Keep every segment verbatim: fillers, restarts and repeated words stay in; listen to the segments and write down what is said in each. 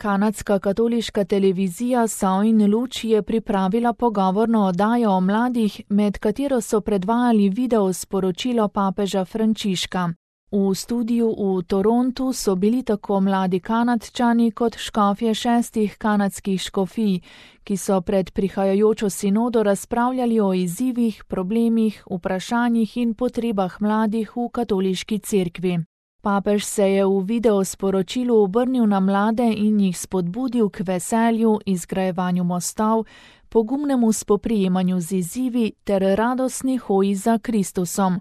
Kanadska katoliška televizija Sol in luč je pripravila pogovorno oddajo o mladih, med katero so predvajali video sporočilo papeža Frančiška. V studiu v Torontu so bili tako mladi Kanadčani kot škofje šestih kanadskih škofij, ki so pred prihajajočo sinodo razpravljali o izzivih, problemih, vprašanjih in potrebah mladih v katoliški cerkvi. Papež se je v video sporočilu obrnil na mlade in jih spodbudil k veselju, izgrajevanju mostov, pogumnemu spoprijemanju z izzivi ter radostni hoji za Kristusom.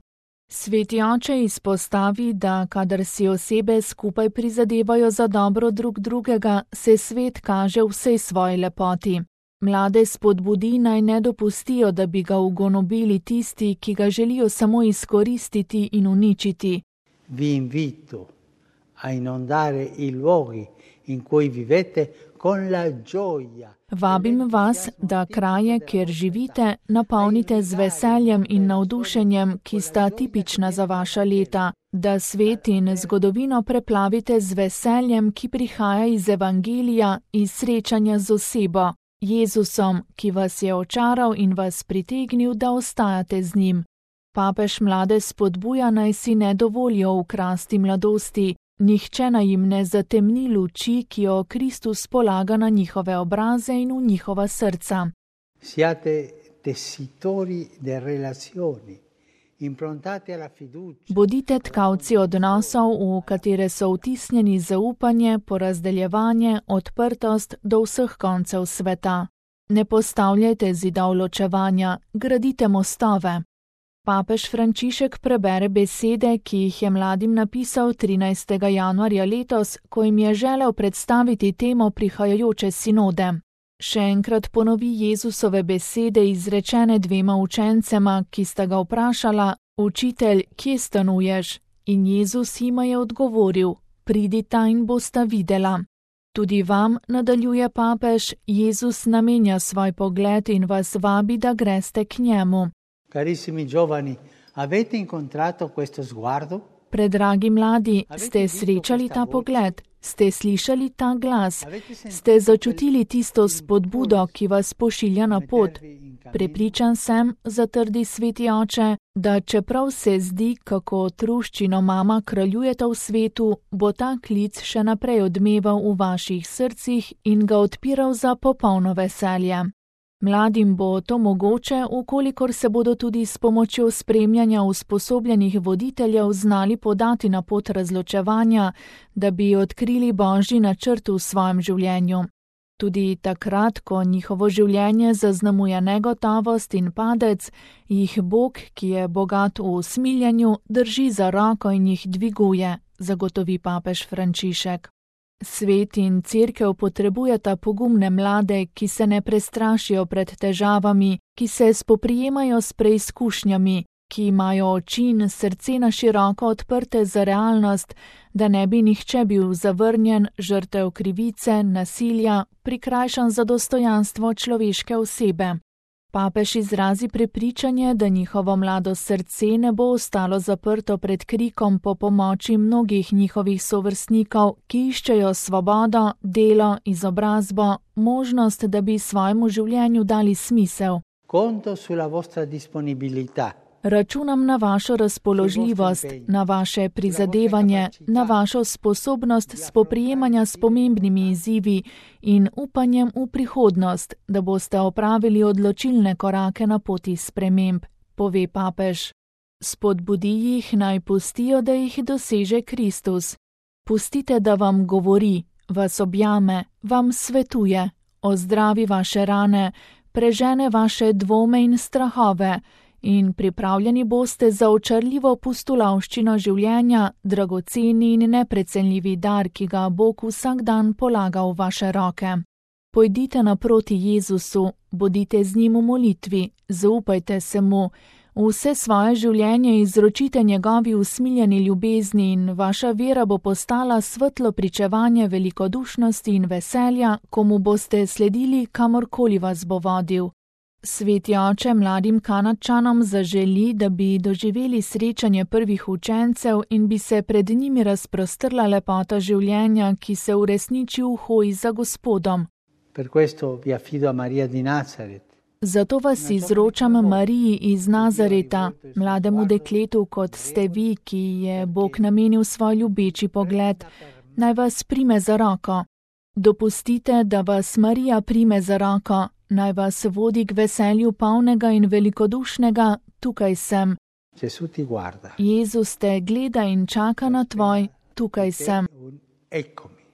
Sveti oče izpostavi, da kadar si osebe skupaj prizadevajo za dobro drug drugega, se svet kaže v vsej svoji lepoti. Mlade spodbudi naj ne dopustijo, da bi ga ugonobili tisti, ki ga želijo samo izkoristiti in uničiti. Vi invito a inondare i luoghi in cui vivete con la gioia. Vabim vas, da kraje, kjer živite, napolnite z veseljem in navdušenjem, ki sta tipična za vaša leta, da svet in zgodovino preplavite z veseljem, ki prihaja iz evangelija, iz srečanja z osebo, Jezusom, ki vas je očaral in vas pritegnil, da ostajate z njim. Papež mlade spodbuja, naj si ne dovolijo ukrasti mladosti, nihče naj jim ne zatemni luči, ki jo Kristus polaga na njihove obraze in v njihova srca. Siate tessitori de relazioni, improntate alla fiducia. Bodite tkalci odnosov, v katere so vtisnjeni zaupanje, porazdeljevanje, odprtost do vseh koncev sveta. Ne postavljajte zidov ločevanja, gradite mostove. Papež Frančišek prebere besede, ki jih je mladim napisal trinajstega januarja letos, ko jim je želel predstaviti temo prihajajoče sinode. Še enkrat ponovi Jezusove besede izrečene dvema učencema, ki sta ga vprašala: Učitelj, kje stanuješ? In Jezus jima je odgovoril: Pridita in bosta videla. Tudi vam, nadaljuje papež, Jezus namenja svoj pogled in vas vabi, da greste k njemu. Carissimi giovani, avete incontrato questo sguardo? Predragi mladi, ste srečali ta pogled? Ste slišali ta glas? Ste začutili tisto spodbudo, ki vas pošilja na pot? Prepričan sem, zatrdi sveti oče, da čeprav se zdi, kako truščino mama kraljujeta v svetu, bo ta klic še naprej odmeval v vaših srcih in ga odpiral za popolno veselje. Mladim bo to mogoče, ukolikor se bodo tudi s pomočjo spremljanja usposobljenih voditeljev znali podati na pot razločevanja, da bi odkrili Božji načrt v svojem življenju. Tudi takrat, ko njihovo življenje zaznamuje negotovost in padec, jih Bog, ki je bogat v usmiljenju, drži za roko in jih dviguje, zagotovi papež Frančišek. Svet in cerkev potrebujeta pogumne mlade, ki se ne prestrašijo pred težavami, ki se spoprijemajo s preizkušnjami, ki imajo oči in srce na široko odprte za realnost, da ne bi nihče bil zavrnjen, žrtev krivice, nasilja, prikrajšan za dostojanstvo človeške osebe. Papež izrazi prepričanje, da njihovo mlado srce ne bo ostalo zaprto pred krikom po pomoči mnogih njihovih sovrstnikov, ki iščejo svobodo, delo, izobrazbo, možnost, da bi svojemu življenju dali smisel. Conto sulla vostra disponibilità. Računam na vašo razpoložljivost, na vaše prizadevanje, na vašo sposobnost spoprijemanja s pomembnimi izzivi in upanjem v prihodnost, da boste opravili odločilne korake na poti sprememb, pove papež. Spodbudi jih, naj pustijo, da jih doseže Kristus. Pustite, da vam govori, vas objame, vam svetuje, ozdravi vaše rane, prežene vaše dvome in strahove, in pripravljeni boste za očarljivo pustolovščino življenja, dragoceni in neprecenljivi dar, ki ga Bog vsak dan polaga v vaše roke. Pojdite naproti Jezusu, bodite z njim v molitvi, zaupajte se mu, vse svoje življenje izročite njegovi usmiljeni ljubezni in vaša vera bo postala svetlo pričevanje velikodušnosti in veselja, komu boste sledili, kamorkoli vas bo vodil. Sveti oče mladim Kanadčanom zaželi, da bi doživeli srečanje prvih učencev in bi se pred njimi razprostrla lepota življenja, ki se uresniči v hoji za Gospodom. Per questo vi affido a Maria di Nazaret. Zato vas izročam Mariji iz Nazareta, mlademu dekletu, kot ste vi, ki je Bog namenil svoj ljubeči pogled. Naj vas prime za roko. Dopustite, da vas Marija prime za roko. Naj vas vodi k veselju polnega in velikodušnega, tukaj sem. Jezus te gleda in čaka na tvoj, tukaj sem.